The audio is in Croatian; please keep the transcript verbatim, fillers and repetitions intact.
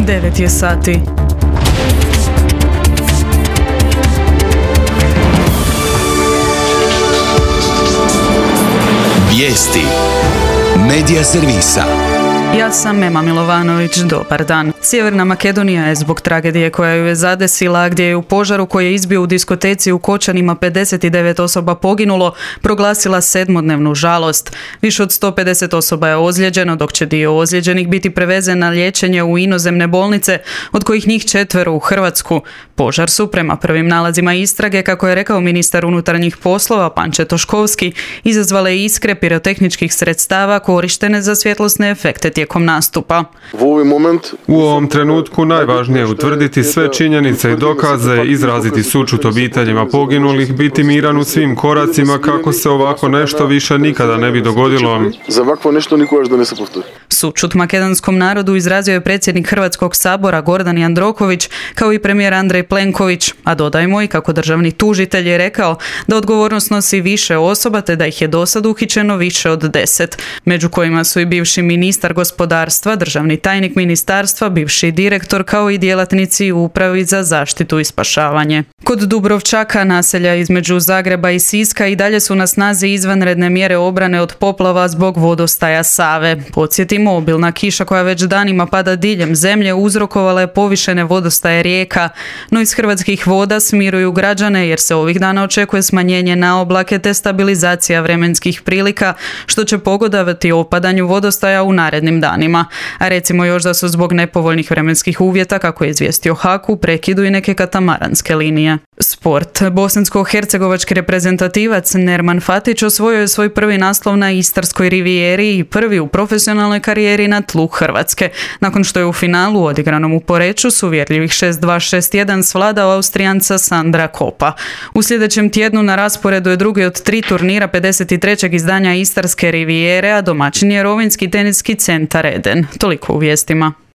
devet je sati. Vijesti Medija servisa. Ja sam Ema Milovanović, dobar dan. Sjeverna Makedonija je zbog tragedije koja ju je zadesila, gdje je u požaru koji je izbio u diskoteci u Kočanima pedeset devet osoba poginulo, proglasila sedmodnevnu žalost. Više od sto pedeset osoba je ozlijeđeno, dok će dio ozlijeđenih biti prevezen na liječenje u inozemne bolnice, od kojih njih četvero u Hrvatsku. Požar su, prema prvim nalazima istrage, kako je rekao ministar unutarnjih poslova Panče Toškovski, izazvale iskre pirotehničkih sredstava korištene za svjetlosne efekte tijekom nastupa. U ovom trenutku najvažnije je utvrditi sve činjenice i dokaze, izraziti sućut obiteljima poginulih, biti miran u svim koracima kako se ovako nešto više nikada ne bi dogodilo. Sućut makedonskom narodu izrazio je predsjednik Hrvatskog sabora Gordan Jandroković, kao i premijer Andrej Plenković, a dodajmo i kako državni tužitelj je rekao da odgovornost nosi više osoba te da ih je dosad uhićeno više od deset, među kojima su i bivši ministar gospodarstva, državni tajnik ministarstva, bivši direktor kao i djelatnici u upravi za zaštitu i spašavanje. Kod Dubrovčaka, naselja između Zagreba i Siska, i dalje su na snazi izvanredne mjere obrane od poplava zbog vodostaja Save. Podsjetimo, obilna kiša koja već danima pada diljem zemlje uzrokovala je povišene vodostaje rijeka, no iz Hrvatskih voda smiruju građane jer se ovih dana očekuje smanjenje na oblake te stabilizacija vremenskih prilika, što će pogodovati opadanju vodostaja u narednim danima. A recimo još da su zbog nepovoljnih vremenskih uvjeta, kako je izvijestio Haku, u prekidu i neke katamaranske linije. Sport. Bosansko-hercegovački reprezentativac Nerman Fatić osvojio je svoj prvi naslov na Istarskoj rivijeri i prvi u profesionalnoj karijeri na tlu Hrvatske, nakon što je u finalu odigranom u Poreču s uvjerljivih šest dva šest jedan svladao Austrijanca Sandra Kopa. U sljedećem tjednu na rasporedu je drugi od tri turnira pedeset trećeg izdanja Istarske rivijere, a domaćin je Rovinjski teniski centar Eden. Toliko u vijestima.